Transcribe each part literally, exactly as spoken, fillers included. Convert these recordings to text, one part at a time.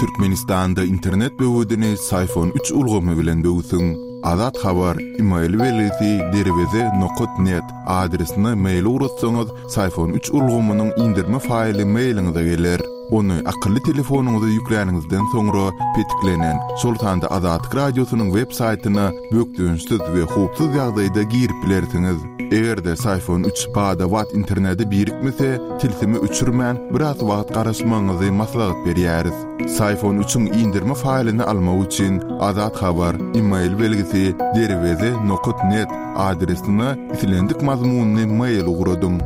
Türkmenistanda internet böwedini Syfon üç ulgamy bilen böwsüň. Azat Habar, email belgisi derweze nokat net adresine mail ugratsaňyz, Syfon üç ulgamynyň indirme faýly mailiňize geler. Ony akylly telefonyňyza ýükläniňizden soňra petiklenen, şol sanda Azatlyk Radiosynyň web saýtyna bökdençsiz we howpsuz ýagdaýda girip bilersiňiz. Eger-de Syfon üç bada-bat internete birikmese, tilsimi öçürmän biraz wagt garaşmagyňyzy maslahat berýäris. Syfon üçiň indirme faýlyny almak üçin Azat Habar, email belgisi derweze nokat net adresine islendik mazmunyny mail ugradyň.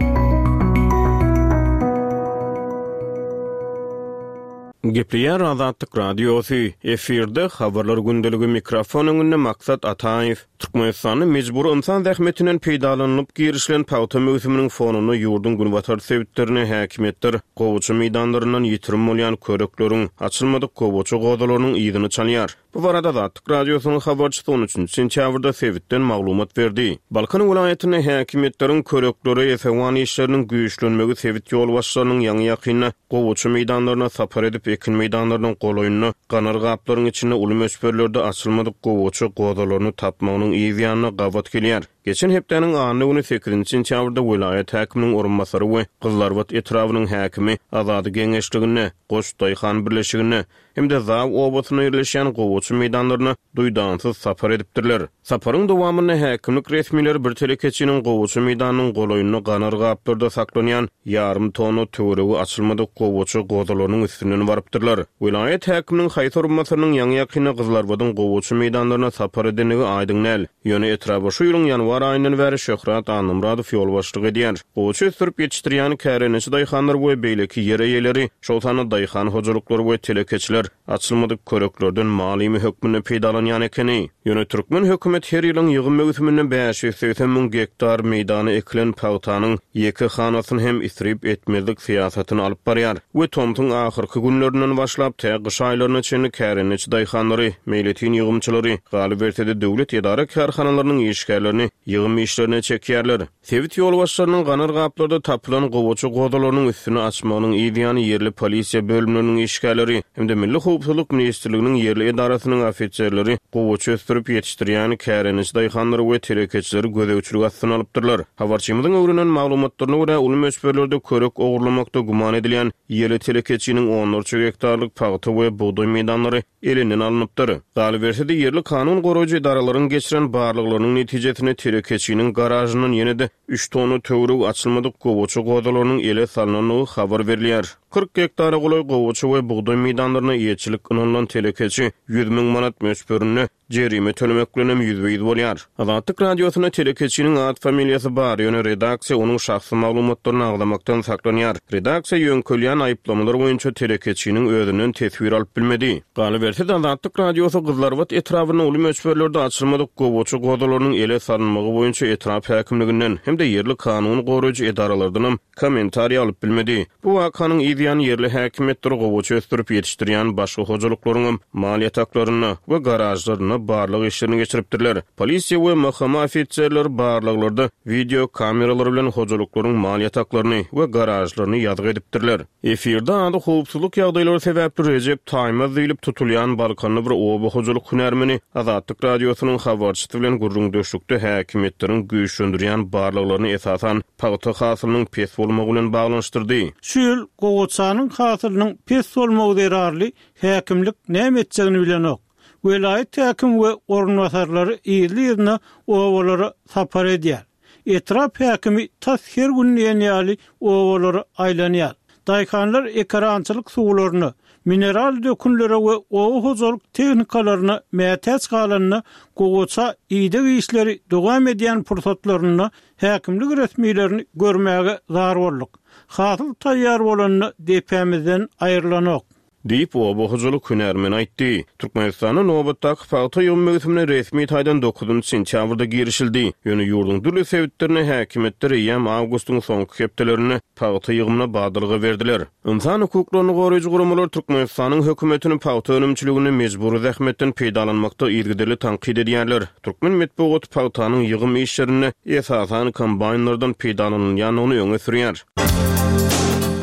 Gepleýär Azatlyk Radiosy, efirde habarlar gündeligi mikrofon öňünde Maksat Ataýew. Türkmenistanda mejbur insan zähmetinden peýdalanylyp girişilen pagta möwsüminiň fonunda ýurduň günbatar sebitlerine häkimiýetler gowaça meýdanlaryndan ýitirim bolýan körekleriň açylmadyk gowaça gozalarynyň yzyny çalýar. Bu barada Azatlyk Radiosynyň habarçysy on üçünji sentýabrda sebitden maglumat berdi. Balkan welaýatynda häkimiýetleriň köreklere esewan işleriniň güýçlenmegi sebit ýolbaşçylarynyň ýaňy ýakynda gowaça meýdanlaryna sapar edip ekin meýdanlarynyň golaýynda ganar gaplaryň içinde uly möçberlerde açylmadyk gowaça gozalaryny tapmagynyň yz ýanyna gabat gelýär. Geçen hepdäniň anna güni sekizinji sentýabrda welaýat häkiminiň orunbasary we Gyzlarbat etrabynyň häkimi Azady geňeşliginde, Goç Daýhan birleşiginde hem-de Zaw obasyna ýerleşen gowaça meýdanlaryna duýdansyz sapar edipdirler. Saparyň dowamynda häkimlik resmileri bir telekeçiniň gowaça meýdanynyň golaýynda ganar gaplarda saklanýan ýarym tonna töweregi açylmadyk gowaça gozalarynyň üstünden barypdyrlar. Welaýat häkiminiň haýsy orunbasarynyň ýaňy ýakynda Gyzlarbadyň gowaça meýdanlaryna sapar edendigi aýdyň däl. Ýöne etraba şu ýylyň ýanwar aýyndan bäri Şöhrat Annamyradow ýolbaşçylyk edýär. Gowaça ösdürip ýetişdirýän kärendeçi daýhanlar we beýleki ýer eýeleri, şol sanda daýhan hojalyklary we telekeçiler açylmadyk köreklerden malimi hökmünde peýdalanýan ekeni. Ýöne türkmen hökümet her ýylyň ýygym möwsüminde bäş ýüz segsen müň gektar meýdana ekilen pagtanyň ýeke hanasyny hem isrip etmezlik syýasatyny alyp barýar we tomsuň ahyrky günlerinden başlap tä gyş aýlaryna çenli kärendeçi daýhanlary, meýletin ýygymçylary, galyberse-de döwlet edara kärhanalarynyň işgärlerini ýygym işlerine çekýärler. Sebit ýolbaşçylarynyň ganar gaplarda tapylan gowaça gozalarynyň üstüni açmagynyň yz ýany ýerli polisiýa bölümleriniň işgärleri hem-de Milli Howpsuzlyk Ministrliginiň ýerli edarasynyň ofiserleri gowaça ösdürip ýetişdirýän kärendeçi daýhanlary we telekeçileri gözegçilik astyna alypdyrlar. Habarçymyzyň öwrenen maglumatlaryna görä uly möçberlerde körek ogurlamakda güman edilýän ýerli telekeçiniň onlarça gektarlyk pagta we bugdaý meýdanlary elinden alnypdyr. Galyberse-de ýerli kanun goraýjy edaralaryň geçiren barlaglarynyň netijesinde telekeçiniň garajyndan ýene-de üç tonna töweregi açylmadyk gowaça gozalarynyň ele salynandygy habar berilýär. Kyrk gektara golaý gowaça we bugdaý meýdanlaryna eýeçilik ynanylan telekeçi ýüz müň manat möçberinde jerime tölemek bilen hem ýüzbe-ýüz bolýar. Azatlyk Radiosyna telekeçiniň ad familiýasy bar, ýöne redaksiýa onuň şahsy maglumatlaryny agzamakdan saklanýar. Redaksiýa ýöňkelýän aýyplamalar boýunça telekeçiniň özünden teswir alyp bilmedi. Galyberse-de Azatlyk Radiosy Gyzlarbat etrabynda uly möçberlerde açylmadyk gowaça gozalarynyň ele salynmagy boýunça etrap häkimliginden hem-de ýerli kanun goraýjy edaralardan hem kommentariý alyp bilmedi. Bu wakanyň yz ýany ýerli häkimiýetler gowaça ösdürip ýetişdirýän başga hojalyklaryň hem mal ýataklarynda we garažlarynda barlag işlerini geçiripdirler. Polisiýa we M H M ofiserleri barlaglarda video kameralar bilen hojalyklaryň mal ýataklaryny we garažlaryny ýazgy edipdirler. Efirde ady howpsuzlyk ýagdaýlary sebäpli Rejep Taýmaz diýlip tutulýan Balkanly bir oba hojalyk hünärmeni Azatlyk Radiosynyň habarçysy bilen gürrüňdeşlikde häkimiýetleriň güýçlendirýän barlaglaryny esasan pagta hasylynyň pes bolmagy bilen baglanyşdyrdy. Şu ýyl gowaçanyň hasylynyň pes bolmagy zerarly häkimlik näme etjegini bilenok. Welaýat häkim we orunbasarlary ýerli-ýerine obalara sapar edýär. Etrap häkimi tas her gün diýen ýaly obalara aýlanýar. Daýhanlar ekarançylyk suwlaryna, mineral dökünlere we oba hojalyk tehnikalaryna mätäç galanda gowaça ideg işleri dowam edýän pursatlarynda häkimlik resmilerini görmäge zar bolduk. Hasyl taýýar bolanda depämizden aýrylanok. Diýip oba hojalyk hünärmeni aýtdy. Türkmenistanda nobatdaky pagta ýygym möwsümine resmi taýdan dokuzynjy sentýabrda girişildi. Ýöne ýurduň dürli sebitlerine häkimiýetler eýýäm awgustyň soňky hepdelerinde pagta ýygymyna badalga berdiler. Insan hukuklaryny goraýjy guramalar Türkmenistanyň hökümetini pagta önümçiliginde mejbury zähmetden peýdalanmakda yzygiderli tankyt edýärler. Türkmen metbugaty pagtanyň ýygym işlerinde esasan kombaýnlardan peýdalanylýandygyny öňe sürýär.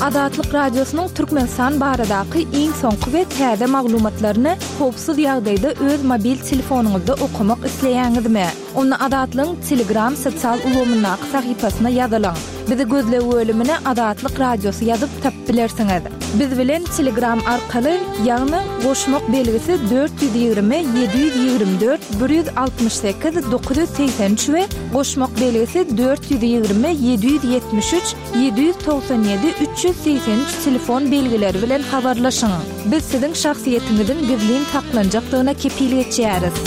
Azatlyk Radiosynyň Türkmenistan baradaky iň soňky we täze maglumatlaryny howpsuz ýagdaýda öz mobil telefonyňyzda okamak isleýäňizmi? Onda Azatlygyň Telegram sosial ulgamyndaky sahypasyna ýazylyň. Bizi gözleg bölümine Azatlyk Radiosy ýazyp tapyp bilersiňiz. Biz bilen Telegram arkaly, ýagny goşmak belgisi dört ýüz ýigrimi ýedi ýüz ýigrimi dört bir ýüz altmyş sekiz dokuz ýüz segsen üç we goşmak belgisi dört ýüz ýigrimi ýedi ýüz ýetmiş üç ýedi ýüz togsan ýedi üç ýüz segsen üç telefon belgileri bilen habarlaşyň. Biz siziň şahsyýetiňiziň gizlin saklanjakdygyna kepil geçýäris.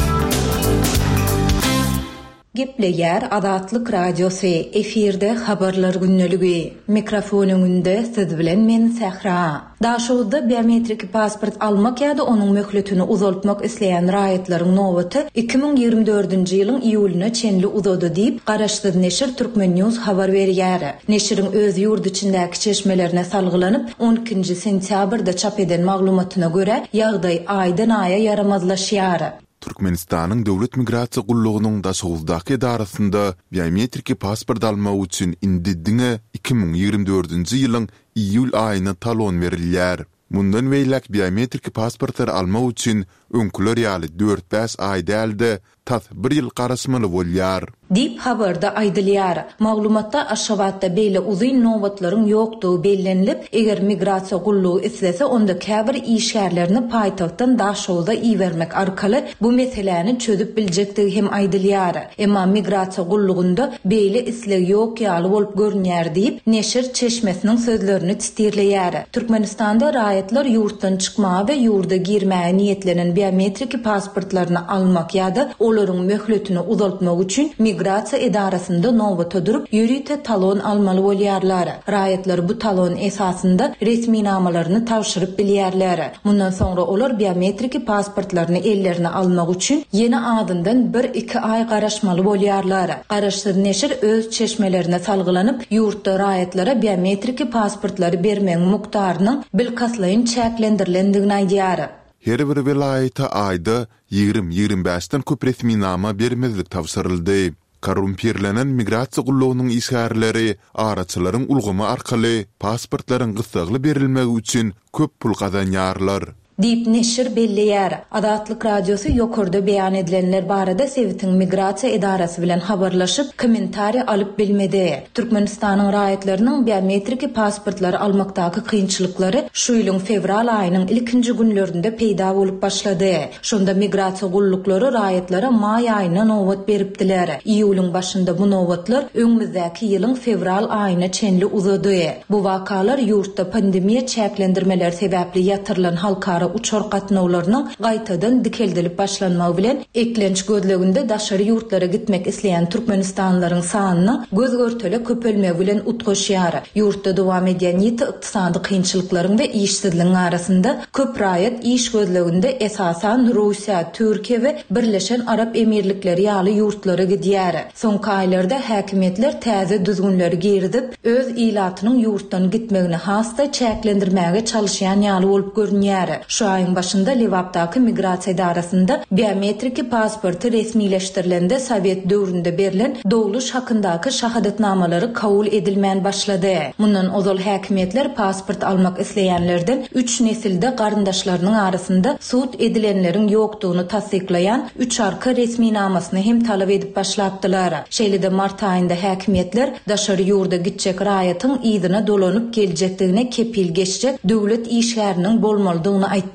Gepleýär Azatlyk Radiosy, efirde Habarlar gündeligi. Mikrofon öňünde siz bilen men Sähra. Daşoguzda biometriki pasport almak ýa-da onuň möhletini uzaltmak isleýän raýatlaryň nobaty iki müň ýigrimi dördünji ýylyň iýulyna çenli uzady diýip, garaşsyz neşir Turkmen News habar berýär. Neşiriň öz ýurt içindäki çeşmelerine salgylanyp, on ikinji sentýabrda çap eden maglumatyna görä, ýagdaý aýdan-aýa ýaramazlaşýar. Türkmenistanyň Döwlet migrasiýa gullugynyň Daşoguzdaky edarasynda biometriki pasport almak üçin indi diňe iki müň ýigrimi dördünji ýylyň iýul aýyna talon berilýär. Mundan beýläk biometriki pasportlary almak üçin öňküler ýaly dört-bäş aý däl-de, tas bir ýyl garaşmaly bolýar. Diýip, habarda aýdylýar. Maglumatda Aşgabatda beýle uzyn nobatlaryň ýokdugy bellenilip, eger migrasiýa gullugy islese, onda käbir işgärlerini paýtagtdan Daşoguza ibermek arkaly bu meseläni çözüp biljekdigi hem aýdylýar. Emma migrasiýa gullugynda beýle isleg ýok ýaly bolup görünýär diýip, neşir çeşmesiniň sözlerini titirleýär. Türkmenistanda raýatlar ýurtdan çykmaga we ýurda girmäge niýetlenen biometriki pasportlaryny almak ýa-da olaryň möhletini uzaltmak üçin migrasiýa edarasynda nobata durup, ýörite talon almaly bolýarlar. Raýatlar bu talon esasynda resminamalaryny tabşyryp bilýärler. Mundan soňra olar biometriki pasportlaryny ellerine almak üçin ýene azyndan bir-iki aý garaşmaly bolýarlar. Garaşsyz neşir öz çeşmelerine salgylanyp, ýurtda raýatlara biometriki pasportlary bermegiň mukdarynyň bilkastlaýyn çäklendirilendigini aýdýar. Her bir welaýata aýda ýigrimi-ýigrimi bäşden köp resminama bermezlik tabşyryldy. Korrumpirlenen migrasiýa gullugynyň işgärleri araçylaryň ulgamy arkaly pasportlaryň gyssagly berilmegi üçin köp pul gazanýarlar. Diýip neşir belleýär. Azatlyk Radiosy ýokarda beýan edilenler barada sebitiň migrasiýa edarasy bilen habarlaşyp, kommentariý alyp bilmedi. Türkmenistanyň raýatlarynyň biometriki pasportlary almakdaky kynçylyklary şu ýylyň fewral aýynyň ilkinji günlerinde peýda bolup başlady. Şonda migrasiýa gulluklary raýatlara maý aýyna nobat beripdiler. Iýulyň başynda bu nobatlar öňümizdäki ýylyň fewral aýyna çenli uzady. Bu wakalar ýurtda pandemiýa çäklendirmeleri sebäpli ýatyrylan halkara uçar gatnawlarynyň gaýtadan dikeldilip başlanmagy bilen eklenç gözleginde daşary ýurtlara gitmek isleýän türkmenistanlylaryň sanynyň göz-görtele köpelmegi bilen utgaşýar. Ýurtda dowam edýän ýiti ykdysady kynçylyklaryň we işsizligiň arasynda köp raýat iş gözleginde esasan Russiýa, Türkiýe we Birleşen Arap Emirlikleri ýaly ýurtlara gidýär. Soňky aýlarda häkimiýetler täze düzgünleri girizip, öz ilatynyň ýurtdan gitmegini has-da çäklendirmäge çalyşýan ýaly bolup görünýär. Şu aýyň başynda Lebapdaky migrasiýa edarasynda biometriki pasporty resmileşdirilende Sowet döwründe berlen dogluş hakyndaky şahadatnamalary kabul edilmän başlady. Mundan ozal häkimiýetler pasport almak isleýänlerden üç nesilde garyndaşlarynyň arasynda sud edilenleriň ýokdugyny tassyklaýan üç arka resminamasyny hem talap edip başlapdylar. Şeýle-de mart aýynda häkimiýetler daşary ýurda gitjek raýatyň yzyna dolanyp geljekdigine kepil geçjek döwlet işgäriniň bolmalydygyny aýtdylar.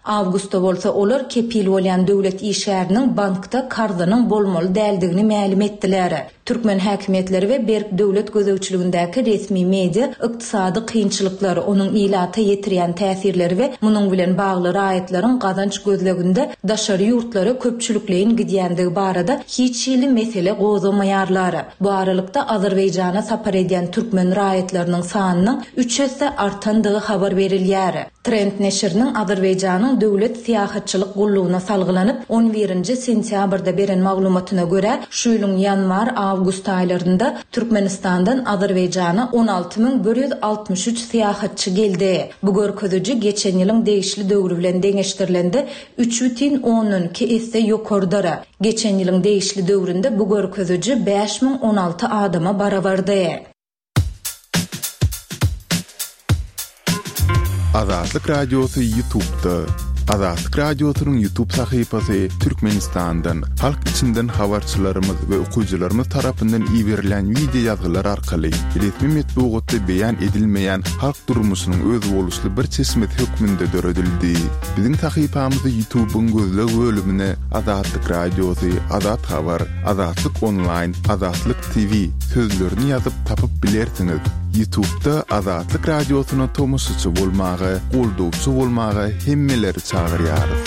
Awgustda bolsa olar kepil bolýan döwlet işgäriniň bankda karzynyň bolmaly däldigini mälim etdiler. Türkmen häkimiýetleri we berk döwlet gözegçiligindäki resmi media ykdysady kynçylyklar, onuň ilata ýetirýän täsirleri we munuň bilen bagly raýatlaryň gazanç gözleginde daşary ýurtlara köpçülikleýin gidýändigi barada hiç hili mesele gozgamaýarlar. Bu aralykda Azerbaýjana sapar edýän türkmen raýatlarynyň sanynyň üç esse artandygy habar berilýär. Trend neşiriniň Azerbaýjanyň döwlet syýahatçylyk gullugyna salgylanyp, on birinji sentýabrda beren maglumatyna görä, şu ýylyň ýanwar-awgust aýlarynda Türkmenistandan Azerbaýjana on alty müň bir ýüz altmyş üç syýahatçy geldi. Bu görkeziji geçen ýylyň degişli döwri bilen deňeşdirilende üç bütin ondan iki esse ýokarydyr. Geçen ýylyň degişli döwründe bu görkeziji bäş müň on alty adama barabardy. Azatlyk Radiosy YouTube'da. Azatlyk Radiosynyň YouTube sahypasy Türkmenistandan, halk içinden habarçylarymyz we okyjylarymyz tarapyndan iberilen wideo ýazgylar arkaly resmi metbugatda beýan edilmeýän halk durmuşynyň özboluşly bir çeşmesi hökmünde döredildi. Biziň sahypamyzy YouTube'yň gözleg bölümine Azatlyk Radiosy, Azat Habar, Azatlyk Online, Azatlyk T V sözlerini ýazyp tapyp bilersiňiz. YouTube'da Azatlyk Radiosyna tomaşaçy bolmaga, goldawçy bolmaga hemmeleri çagyrýarys.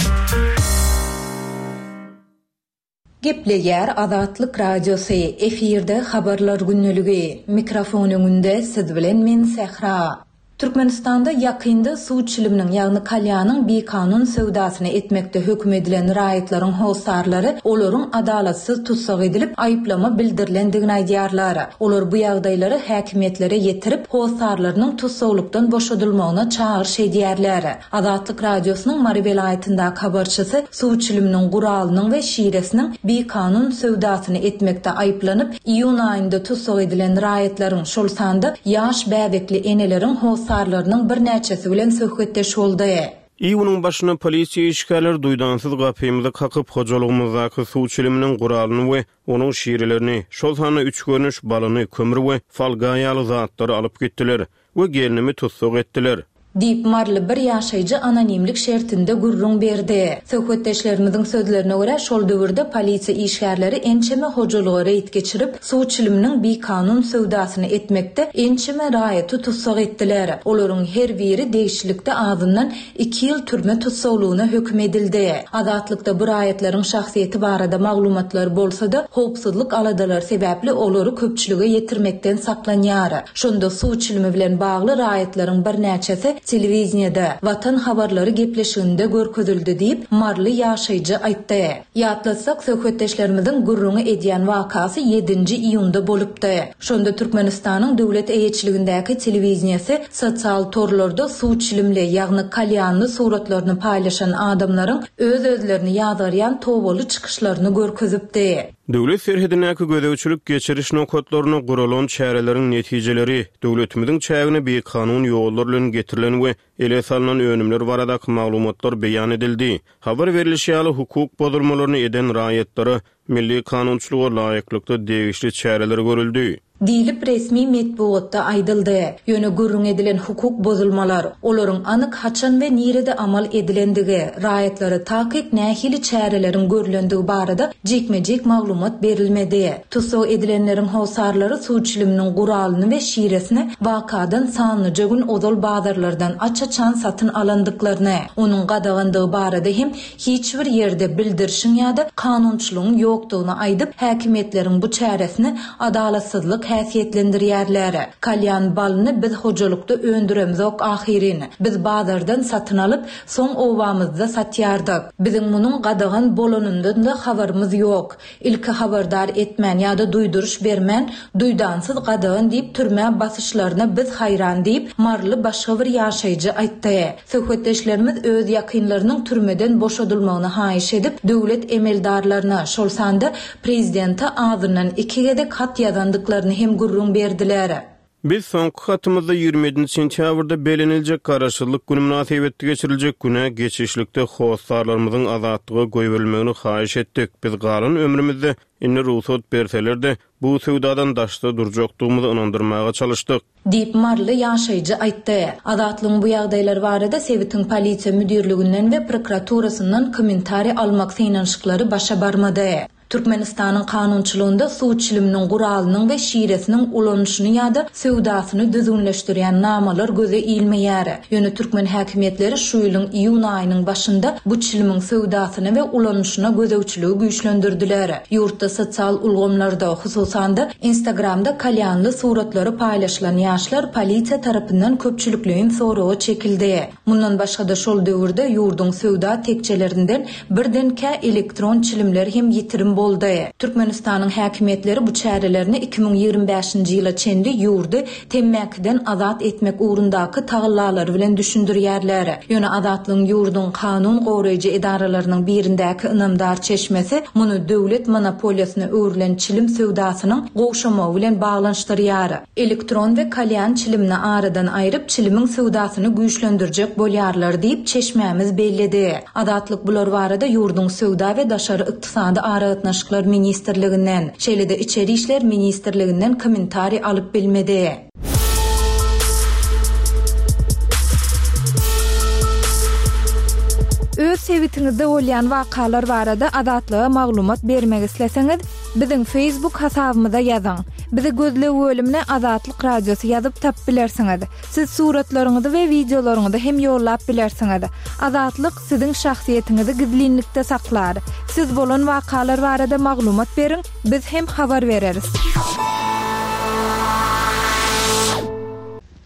Gepleýär Azatlyk Radiosy, efirde habarlar gündeligi. Mikrofon öňünde siz bilen men Sähra. Türkmenistanda ýakynda suw çiliminiň, ýagny kalýanyň bikanun söwdasyny etmekde höküm edilen raýatlaryň hossarlary olaryň adalatsyz tussag edilip, aýyplama bildirilendigini aýdýarlar. Olar bu ýagdaýlary häkimiýetlere ýetirip, hossarlarynyň tussaglykdan boşadylmagyna çagyryş edýärler. Azatlyk Radiosynyň Mary welaýatyndaky habarçysy suw çiliminiň guralynyň we şiresiniň bikanun söwdasyny etmekde aýyplanyp, iýun aýynda tussag edilen raýatlaryň, şol sanda ýaş bäbekli eneleriň hossarlarynyň birnäçesi bilen söhbetdeş boldy. Iýunyň başynda polisiýa işgärleri duýdansyz gapymyzy kakyp, hojalygymyzdaky suw çiliminiň guralyny we onuň şirelerini, şol sanda üç görnüş balyny, kömür we folga ýaly zatlary alyp gitdiler we gelnimi tussag etdiler. Diýip, maryly bir ýaşaýjy anonimlik şertinde gürrüň berdi. Söhbetdeşlerimiziň sözlerine görä, şol döwürde polisiýa işgärleri ençeme hojalyga reýd geçirip, suw çiliminiň bikanun söwdasyny etmekde ençeme raýaty tussag etdiler. Olaryň her biri degişlilikde azyndan iki ýyl türme tussaglygyna höküm edildi. Azatlykda bu raýatlaryň şahsyýeti barada maglumatlar bolsa-da, howpsuzlyk aladalary sebäpli olary köpçülige ýetirmekden saklanýar. Şonda suw çilimi bilen bagly raýatlaryň birnäçesi telewideniýede Watan habarlary gepleşiginde görkezildi diýip, maryly ýaşaýjy aýtdy. Ýatlatsak, söhbetdeşlerimiziň gürrüňi edýän wakasy ýedinji iýunda bolupdy. Şonda Türkmenistanyň döwlet eýeçiligindäki telewideniýesi sosial torlarda suw çilimli, ýagny kalýanly suratlaryny paýlaşan adamlaryň öz-özlerini ýazgarýan tobaly çykyşlaryny görkezipdi. Döwlet serhedindäki gözegçilik geçiriş nokatlaryna guralan çäreleriň netijeleri, döwletimiziň çägine bikanun ýollar bilen getirilen we ele salnan önümler baradaky maglumatlar beýan edildi. Habar berilişi ýaly, hukuk bozulmalaryny eden raýatlara milli kanunçylyga laýyklykda degişli çäreler görüldi. Diýlip, resmi metbugatda aýdyldy. Ýöne gürrüň edilen hukuk bozulmalar, olaryň anyk haçan we nirede amal edilendigi, raýatlara takyk nähili çäreleriň görlendigi barada jikme-jik maglumat berilmedi. Tussag edilenleriň hossarlary suw çiliminiň guralyny we şiresini wakadan sanlyja gün ozal bazarlardan aç-açan satyn alandyklaryny, onuň gadagandygy barada hem hiç bir ýerde bildirişiň ýa-da kanunçylygyň ýokdugyny aýdyp, häkimiýetleriň bu çäresini adalatsyzlyk häsiýetlendirýärler. Kalýan balyny biz hojalykda öndüremzok ahyryn. Biz bazardan satyn alyp, soň obamyzda satýardyk. Biziň munuň gadagan bolanyndan-da habarymyz ýok. Ilki habardar etmän ýa-da duýduryş bermän, duýdansyz gadagan diýip türmä basyşlaryna biz haýran diýip, maryly başga bir ýaşaýjy aýtdy. Söhbetdeşlerimiz öz ýakynlarynyň türmeden boşadylmagyny haýyş edip, döwlet emeldarlaryna, şol sanda prezidente azyndan iki gezek hat ýazandyklaryny hem gürrüň berdiler. Biz soňky hatymyzda ýigrimi ýedinji sentýabrda beleniljek Garaşsyzlyk güni mynasybetli geçiriljek güne geçişlikde hossarlarymyzyň azatlyga goýberilmegini haýyş etdik. Biz galan ömrümizde indi rugsat berseler-de, bu söwdadan daşda durjakdygymyzy ynandyrmaga çalyşdyk. Diýip, maryly ýaşaýjy aýtdy. Azatlygyň bu ýagdaýlar barada sebitiň polisiýa müdirliginden we prokuraturasyndan kommentariý almak synanyşyklary başa barmady. Türkmenistanyň kanunçylygynda suw çiliminiň guralynyň we şiresiniň ulanyşyny ýa-da söwdasyny düzgünleşdirýän namalar göze ilmeýär. Ýöne türkmen häkimiýetleri şu ýylyň iýun aýynyň başynda bu çilimiň söwdasyna we ulanyşyna gözegçiligi güýçlendirdiler. Ýurtda sosial ulgamlarda, hususan-da Instagramda kalýanly suratlary paýlaşylan ýaşlar polisiýa tarapyndan köpçülikleýin soraga çekildi. Mundan başga-da şol döwürde ýurduň söwda tekjelerinden birdenkä elektron çilimler hem ýitirim boldy. Türkmenistanyň häkimiýetleri bu çärelerini iki müň ýigrimi bäşinji ýyla çenli ýurdy temmäkiden azat etmek ugrundaky tagallalary bilen düşündirýärler. Ýöne Azatlygyň ýurduň kanun goraýjy edaralarynyň birindäki ynamdar çeşmesi muny döwlet monopoliýasyna öwrülen çilim söwdasynyň gowşamagy bilen baglanyşdyrýar. Elektron we kalýan çilimini aradan aýryp, çilimiň söwdasyny güýçlendirjek bolýarlar diýip, çeşmämiz belledi. Azatlyk bular barada ýurduň Söwda we daşary ykdysady aragatnaşyklar ministrliginden, şeýle-de Içeri işler ministrliginden kommentariý alyp bilmedi. Öz sebitiňizde bolýan wakalar barada Azatlyga maglumat bermek isleseňiz, biziň Facebook hasabymyza ýazyň. Bizi gözleg bölümine Azatlyk Radiosy ýazyp tapyp bilersiňiz. Siz suratlaryňyzy we wideolaryňyzy hem ýollap bilersiňiz. Azatlyk siziň şahsyýetiňizi gizlinlikde saklar. Siz bolan wakalar barada maglumat beriň, biz hem habar bereris.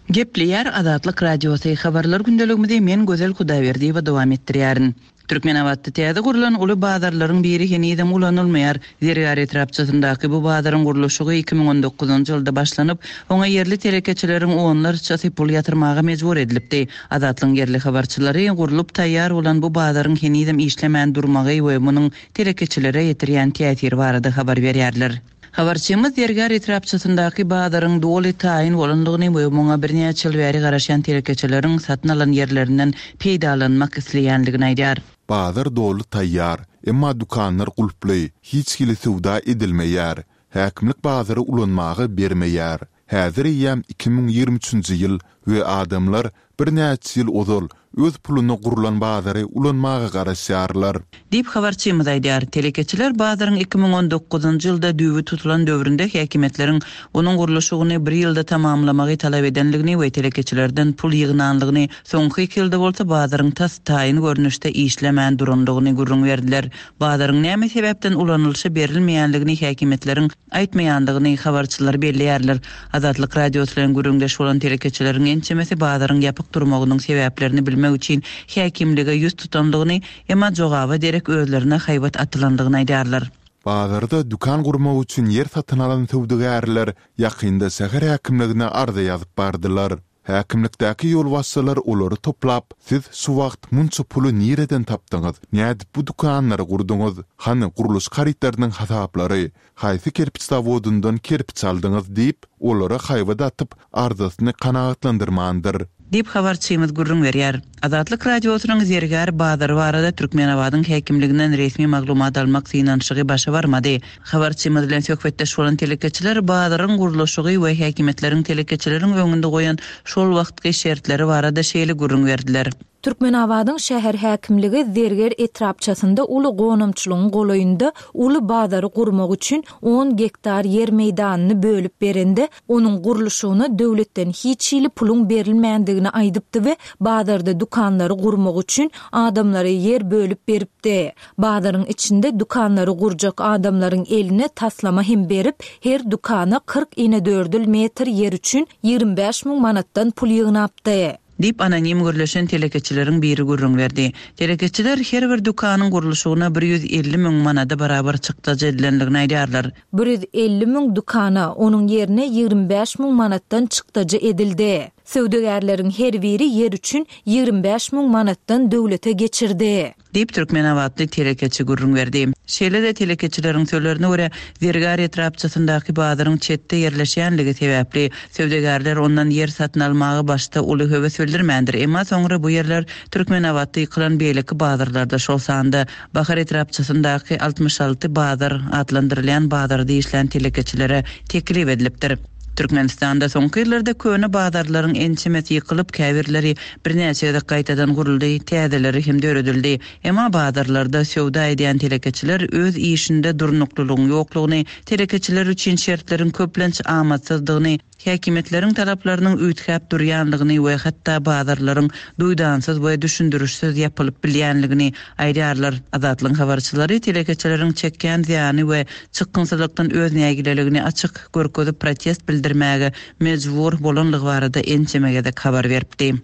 Gepleýär Azatlyk Radiosy, habarlar gündeligimizi men Gözel Hudaýberdiýewa dowam etdirýärin. Türkmenabatda täze gurlan uly bazarlaryň biri henizem ulanylmaýar. Zergär etrapçasyndaky bu bazaryň gurluşygy iki müň on dokuzynjy ýylda başlanyp, oňa ýerli telekeçileriň onlarçasy pul ýatyrmaga mejbur edilipdi. Azatlygyň ýerli habarçylary gurlup taýýar bolan bu bazaryň henizem işlemän durmagy we munuň telekeçilere ýetirýän täsiri barada habar berýärler. Habarçymyz Zergär etrapçasyndaky bazaryň doly taýyn bolanlygyny we muňa birnäçe ýyl bäri garaşýan telekeçileriň satyn alan ýerlerinden peýdalanmak isleýänligini aýdýar. Bazar doly taýýar, emma dükanlar gulply, hiç hili söwda edilmeýär. Häkimlik bazary ulanmaga bermeýär. Häzir eýýäm iki müň ýigrimi üçünji ýyl we adamlar birnäçe ýyl ozal öz puluna gurlan bazary ulanmaga garaşýarlar. Diýip habarçymyz aýdýar. Telekeçiler bazaryň iki müň on dokuzynjy ýylda düýbi tutulan döwründe häkimiýetleriň onuň gurluşygyny bir ýylda tamamlamagy talap edenligini we telekeçilerden pul ýygnanlygyny, soňky iki ýylda bolsa bazaryň tas taýyn görnüşde işlemän duranlygyny gürrüň berdiler. Bazaryň näme sebäpden ulanylyşy berilmeýänligini häkimiýetleriň aýtmaýanlygyny habarçylar belleýärler. Azatlyk Radiosy bilen gürrüňdeş bolan telekeçileriň ençemesi bazaryň ýapyk durmagynyň sebäplerini bilmek üçin häkimlige ýüz tutanlygyny, emma jogaba derek özlerine haýbat atylanlygyny aýdarlar. Bazarda dükan gurmak üçin ýer satyn alan söwdagärler ýakynda şäher häkimligine arza ýazyp bardylar. Häkimlikdäki ýolbaşçylar olary toplap, siz şu wagt munça puly nireden tapdyňyz, nädip bu dükanlary gurduňyz, hany gurluş harytlarynyň hasaplary, haýsy kerpiç zawodyndan kerpiç aldyňyz diýip, olara haýbat atyp, arzasyny kanagatlandyrmandyr. Diýip habarçymyz gürrüň berýär. Azatlyk Radiosynyň Zergär bazary barada Türkmenabadyň häkimliginden resmi maglumat almak synanyşygy başa barmady. Habarçymyz bilen söhbetdeş bolan telekeçiler bazaryň gurluşygy we häkimiýetleriň telekeçileriň öňünde goýan şol wagtky şertleri barada şeýle gürrüň berdiler. Türkmenabadyň şäher häkimligi Zerger etrapçasynda uly gonamçylygyň golaýynda uly bazary gurmak üçin on gektar ýer meýdanyny bölüp berende, onuň gurluşygyna döwletden hiç hili puluň berilmändigini aýdypdy we bazarda dükanlary gurmak üçin adamlara ýer bölüp beripdi. Bazaryň içinde dükanlary gurjak adamlaryň eline taslama hem berip, her dükana kyrk inedördül metr ýer üçin ýigrimi bäş müň manatdan pul ýygnapdy. Diýip anonim gürleşen telekeçileriň biri gürrüň berdi. Telekeçiler her bir dükanyň gurluşygyna bir ýüz elli müň manada barabar çykdajy edilenligini aýdarlar. Bir ýüz elli müň dükana onuň ýerine ýigrimi bäş müň manatdan çykdajy edildi. Söwdagärleriň her biri ýer üçin ýigrimi bäş müň manatdan döwlete geçirdi. Diýip Türkmenabatly telekeçi gürrüň berdi. Şeýle-de telekeçileriň sözlerine görä Zergär etrapçasyndaky bazaryň çetde ýerleşýänligi sebäpli söwdagärler ondan ýer satyn almaga başda uly höwes bildirmändir. Emma soňra bu ýerler Türkmenabatda ýykylan beýleki bazarlarda, şol sanda Bahar etrapçasyndaky altmyş alty bazar adlandyrylýan bazarda işlän telekeçilere teklip edilipdir. Türkmenistanda soňky ýyllarda köne bazarlaryň ençemesi ýykylyp, käbirleri birnäçe gezek gaýtadan guruldy, täzeleri hem döredildi. Emma bazarlarda söwda edýän telekeçiler öz işinde durnuklylygyň ýoklugyny, telekeçiler üçin şertleriň köplenç amatsyzdygyny, häkimiýetleriň talaplarynyň üýtgäp durýanlygyny we hatda bazarlaryň duýdansyz we düşündirişsiz ýapylyp bilýänligini aýdarlar. Azatlygyň habarçylary telekeçileriň çekýän zyýany we çykgynsyzlykdan öz nägileligini açyk görkezip protest bildirmäge mejbur bolanlygy barada ençeme gezek habar beripdi.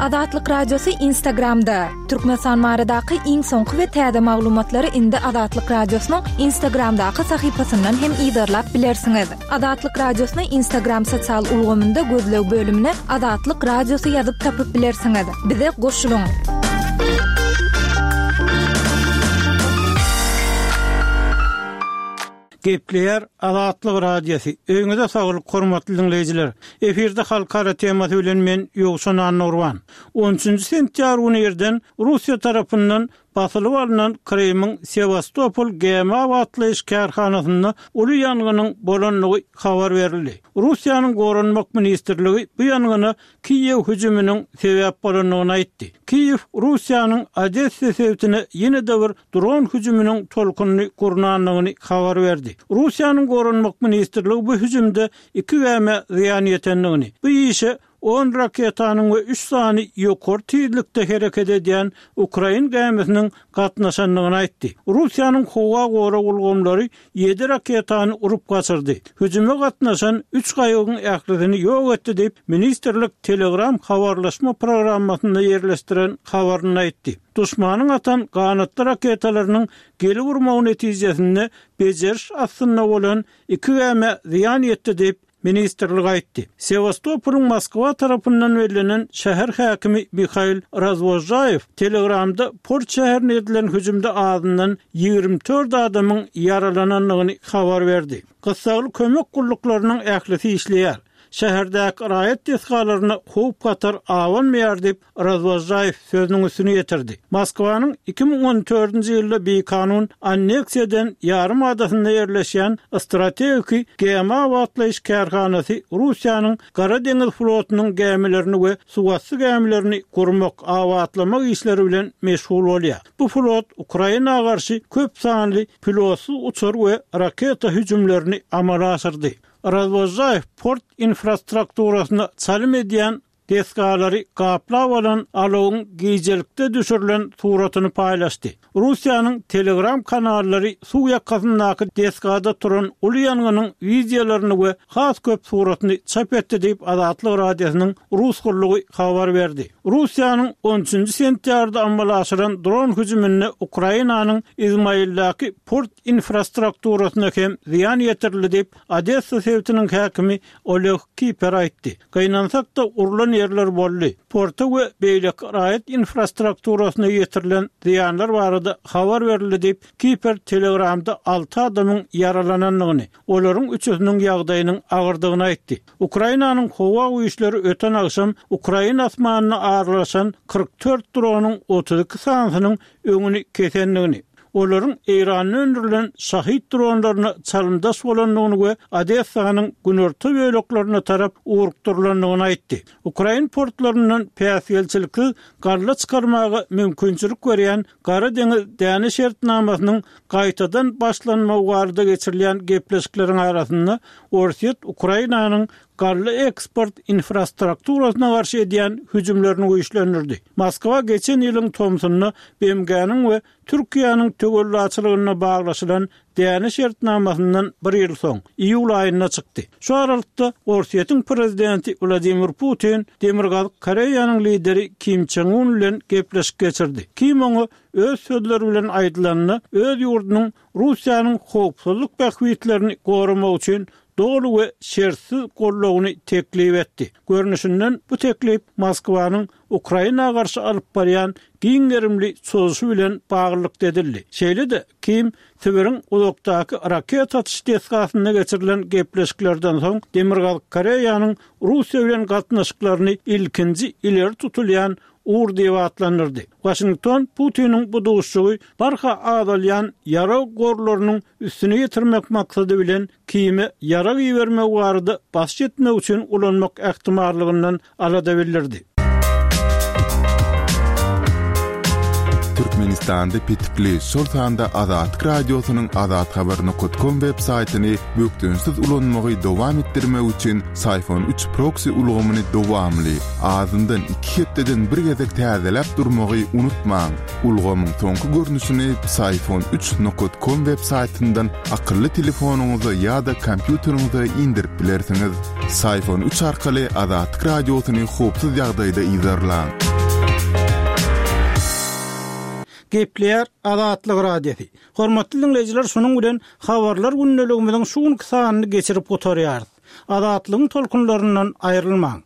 Azatlyk Radiosy Instagramda. Türkmenistan baradaky iň soňky we täze maglumatlary indi Azatlyk Radiosynyň Instagramdaky sahypasyndan hem yzarlap bilersiňiz. Azatlyk Radiosyny Instagram sosial ulgamynda gözleg bölümine Azatlyk Radiosy ýazyp tapyp bilersiňiz. Bize goşulyň! Gepleýär Azatlyk Radiosy. Öýüňize saglyk, hormatly diňleýjiler. Efirde halkara temasy bilen men Ýowşan Annagurban. On üçünji sentýabr güni irden Russiýa tarapyndan basylyp alnan Krymyň Sewastopol gämi abatlaýyş kärhanasynda uly ýangynyň bolandygy habar berildi. Russiýanyň Goranmak ministrligi bu ýangyna Kiýew hüjüminiň sebäp bolandygyny aýtdy. Kiýew Russiýanyň Odessa sebitine ýene-de bir dron hüjüminiň tolkunyny gurnandygyny habar berdi. Russiýanyň Goranmak ministrligi bu hüjümde iki gämä zyýan ýetendigini, bu işe on raketanyň we üç sany ýokary tizlikde hereket edýän ukrain gämisiniň gatnaşandygyny aýtdy. Russiýanyň howa gorag ulgamlary ýedi raketany urup gaçyrdy. Hüjüme gatnaşan üç gaýygyň ählisini ýok etdi diýip, ministrlik Telegram habarlaşma programmasynda ýerleşdiren habarynda aýtdy. Duşmanyň atan ganatly raketalarynyň gelip urmagy netijesinde bejeriş astynda bolan iki gämä zyýan ýetdi diýip, ministrlik aýtdy. Sewastopolyň Moskwa tarapyndan bellenen şäher häkimi Mihail Razwozžaýew Telegramda port şäherine edilen hüjümde azyndan ýigrimi dört adamyň ýaralanandygyny habar berdi. Gyssagly kömek gulluklarynyň ählisi işleýär. Şäherdäki raýat desgalaryna howp-hatar abanmaýar diýip, Razwozžaýew sözüniň üstüni ýetirdi. Moskwanyň iki müň on dördünji ýylda bikanun anneksiýa eden ýarym adasynda ýerleşýän strategiki gämi abatlaýyş kärhanasy Russiýanyň Gara deňiz flotunyň gämilerini we suwasty gämilerini gurmak, abatlamak işleri bilen meşgul bolýar. Bu flot Ukraina garşy köp sanly pilotsyz uçar we raketa hüjümlerini amala aşyrdy. Razwozžaýew port infrastrukturasyna çalym edýän desgalary gaplap alan alawyň gijelikde düşürilen suratyny paýlaşdy. Russiýanyň Telegram kanallary suw ýakasyndaky desgada turan uly ýangynyň wideolaryny we has köp suratyny çap etdi diýip, Azatlyk Radiosynyň rus gullugy habar berdi. Russiýanyň on üçünji sentýabrda amala aşyran dron hüjüminde Ukrainanyň Izmaildaky port infrastrukturasyna hem zyýan ýetirildi diýip, Odessa sebitiniň häkimi Oleg Kiper aýtdy. Gynansak-da, urlan ýerler boldy. Porta we beýleki raýat infrastrukturasyna ýetirilen zyýanlar barada habar berildi diýip, Kiper Telegramda alty adamyň ýaralanandygyny, olaryň üçüsiniň ýagdaýynyň agyrdygyny aýtdy. Ukrainanyň howa güýçleri öten agşam Ukraina asmanyna aralaşan kyrk dört dronyň otuz iki sanysynyň öňüni kesendigini, olaryň Eýranda öndürilen Şahid dronlaryna çalymdaş bolandygyny we Odessanyň günorta böleklerine tarap ugrukdyrylandygyny aýtdy. Ukrain portlaryndan päsgelçiliksiz galla çykarmaga mümkinçilik berýän Gara deňiz däne şertnamasynyň gaýtadan başlanmagy barada geçirilýän gepleşikleriň arasynda Orsýet Ukrainanyň galla eksport infrastrukturasyna garşy edýän hüjümlerini güýçlendirdi. Moskwa geçen ýylyň tomsunda B M G-niň we Türkiýäniň töwellaçylygynda baglaşylan däne şertnamasyndan bir ýyl soň, iýul aýynda çykdy. Şu aralykda Orsýetiň prezidenti Wladimir Putin Demirgazyk Koreýanyň lideri Kim Çen Un bilen gepleşik geçirdi. Kim oňa öz sözleri bilen aýdylanda, öz ýurdunyň Russiýanyň howpsuzlyk bähbitlerini goramak üçin doly we şertsiz goldawyny teklip etdi. Görnüşinden, bu teklip Moskwanyň Ukraina garşy alyp barýan giň gerimli çozuşy bilen baglylykda edildi. Şeýle-de, Kim Sibiriň uzakdaky raketa atyş desgasynda geçirilen gepleşiklerden soň Demirgazyk Koreýanyň Russiýa bilen gatnaşyklaryny ilkinji ileri tutulýan ugur diýip atlandyrdy. Waşington Putiniň bu duşuşygy barha azalýan ýarag gorlarynyň üstüni ýetirmek maksady bilen Kime ýarag ibermek barada basyş etmek üçin ulanmak ähtimallygyndan alada bildirdi. Türkmenistanda petikli, şol sanda Azatlyk Radiosynyň azathabar nokat kom web saýtyny bökdençsiz ulanmagy dowam etdirmek üçin Syfon üç proksi ulgamyny dowamly, azyndan iki hepdeden bir gezek täzeläp durmagy unutmaň. Ulgamyň soňky görnüşini Syfon üç nokat kom web saýtyndan akylly telefonyňyza ýa-da kompýuteriňize indirip bilersiňiz. Syfon üç arkaly Azatlyk Radiosyny howpsuz ýagdaýda yzarlaň. Gepleýär Azatlyk Radiosy. Hormatly diňleýjiler, şunuň bilen Habarlar gündeligimiziň şu günki sanyny geçirip gutarýarys. Azatlygyň tolkunlaryndan aýrylmaň!